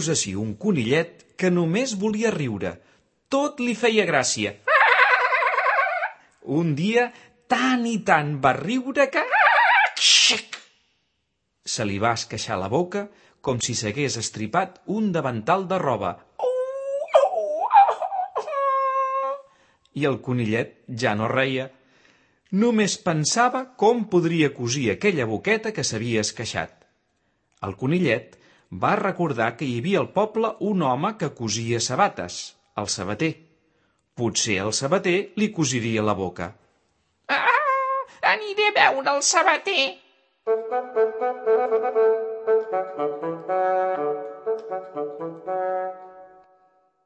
Heus ací un conillet que només volia riure. Tot li feia gràcia. Un dia tant i tant va riure que... Se li va esqueixar la boca com si s'hagués estripat un davantal de roba. I el conillet ja no reia. Només pensava com podria cosir aquella boqueta que s'havia esqueixat. El conillet va recordar que hi havia al poble un home que cosia sabates, el sabater. Potser el sabater li cosiria la boca. Aniré a veure el sabater.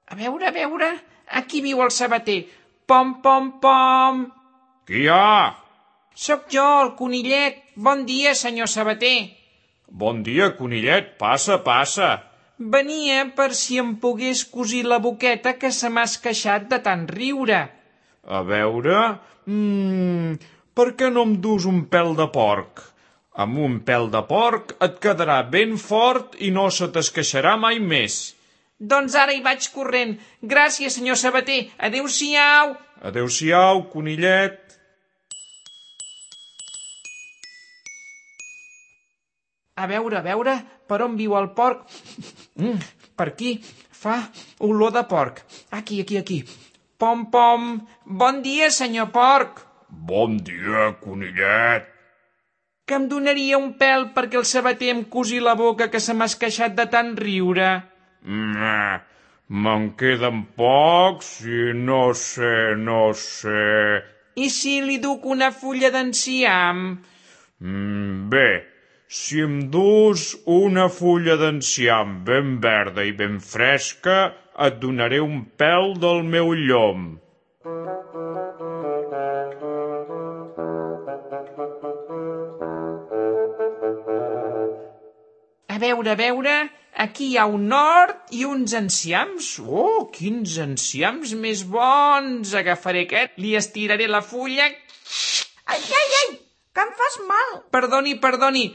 A veure, aquí viu el sabater. Pom, pom, pom. Qui hi ha? Sóc jo, el conillet. Bon dia, senyor sabater. Bon dia, conillet. Passa, passa. Venia per si em pogués cosir la boqueta que se m'ha esqueixat de tant riure. A veure... per què no em dus un pèl de porc? Amb un pèl de porc et quedarà ben fort i no se t'esqueixarà mai més. Doncs ara hi vaig corrent. Gràcies, senyor sabater. Adéu-siau. Adéu-siau, conillet. A veure, per on viu el porc? Per aquí, fa olor de porc. Aquí. Pom, pom. Bon dia, senyor porc. Bon dia, conillet. Que em donaria un pèl perquè el sabater em cosi la boca que se m'ha esqueixat de tant riure. Me'n queden pocs i no sé... I si li duc una fulla d'enciam? Bé, si em dus una fulla d'enciam ben verda i ben fresca, et donaré un pèl del meu llom. A veure, aquí hi ha un hort i uns enciams. Oh, quins enciams més bons! Agafaré aquest, li estiraré la fulla... Ai, que em fas mal. Perdoni.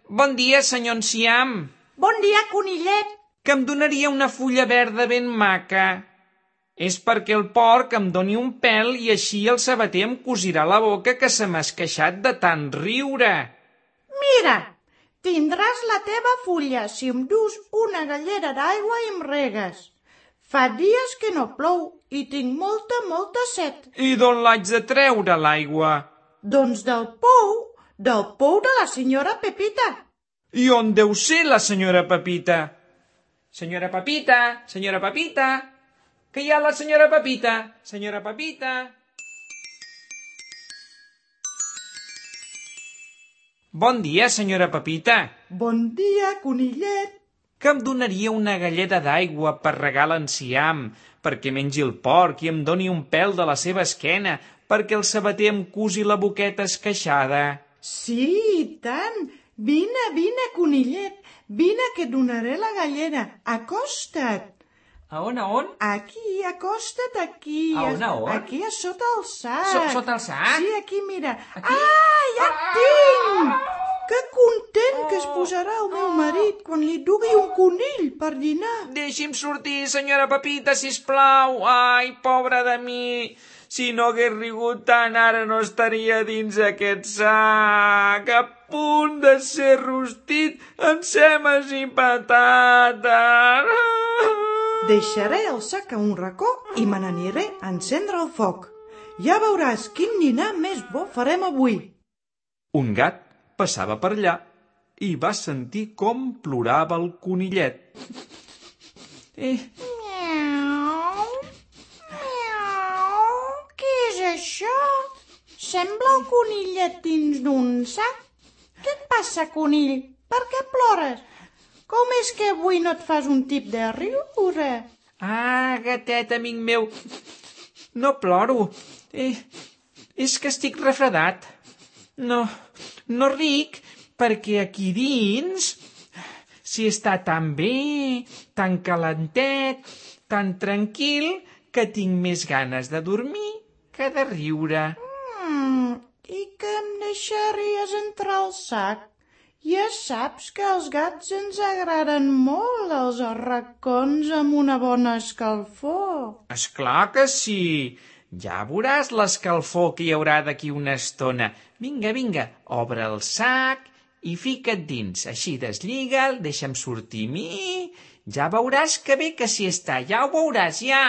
Bon dia, senyor enciam. Bon dia, conillet. Que em donaria una fulla verda ben maca. És perquè el porc em doni un pèl i així el sabater em cosirà la boca que se m'ha esqueixat de tant riure. Mira, tindràs la teva fulla si em dus una gallera d'aigua i em regues. Fa dies que no plou i tinc molta set. I d'on l'haig de treure, l'aigua? Doncs del pou de la senyora Pepita. I on deu ser la senyora Pepita? Senyora Pepita, que hi ha la senyora Pepita? Senyora Pepita... Bon dia, senyora Pepita. Bon dia, conillet. Que em donaria una galleda d'aigua per regar l'enciam, perquè mengi el porc i em doni un pèl de la seva esquena, perquè el sabater em cosi la boqueta esqueixada. Sí, i tant. Vine, conillet. Vine, que et donaré la gallera. Acosta't. A on? Aquí, acosta't aquí. A on? Aquí, a sota el sac. Sota el sac? Sí, aquí, mira. Aquí? Ja et tinc! Que content que es posarà el meu marit quan li dugui un conill per dinar. Deixi'm sortir, senyora Pepita, sisplau. Ai, pobra de mi. Si no hagués rigut tant, ara no estaria dins aquest sac, a punt de ser rostit amb semes i patates. Deixaré el sac a un racó i me n'aniré a encendre el foc. Ja veuràs quin dinar més bo farem avui. Un gat passava per allà i va sentir com plorava el conillet. Què és això? Sembla el conillet dins d'un sac. Què et passa, conill? Per què plores? Com és que avui no et fas un tip de riure? Ah, gatet, amic meu, no ploro. És que estic refredat. No ric perquè aquí dins s'hi està tan bé, tan calentet, tan tranquil, que tinc més ganes de dormir que de riure. I que em deixaries entrar al sac Ja saps que als gats ens agraden molt els arracons amb una bona escalfor. És clar que sí. Ja veuràs l'escalfor que hi haurà d'aquí una estona. Vinga, vinga, obre el sac i fica't dins. Així deslliga'l, deixa'm sortir a mi. Ja veuràs que bé que s'hi està. Ja ho veuràs, ja.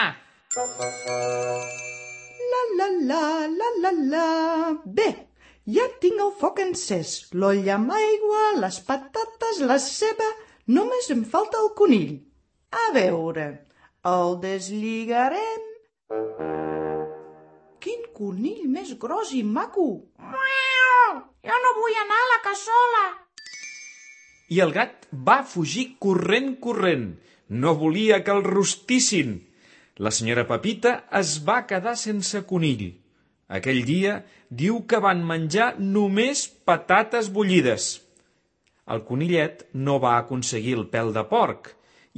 La. Bé, ja tinc el foc encès, l'olla amb aigua, les patates, la ceba... Només em falta el conill. A veure, el deslligarem... Quin conill més gros i maco! Miau! Jo no vull anar a la cassola. I el gat va fugir corrent. No volia que el rostissin. La senyora Pepita es va quedar sense conill. Aquell dia diu que van menjar només patates bullides. El conillet no va aconseguir el pèl de porc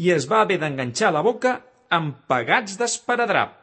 i es va haver d'enganxar la boca amb pegats d'esparadrap.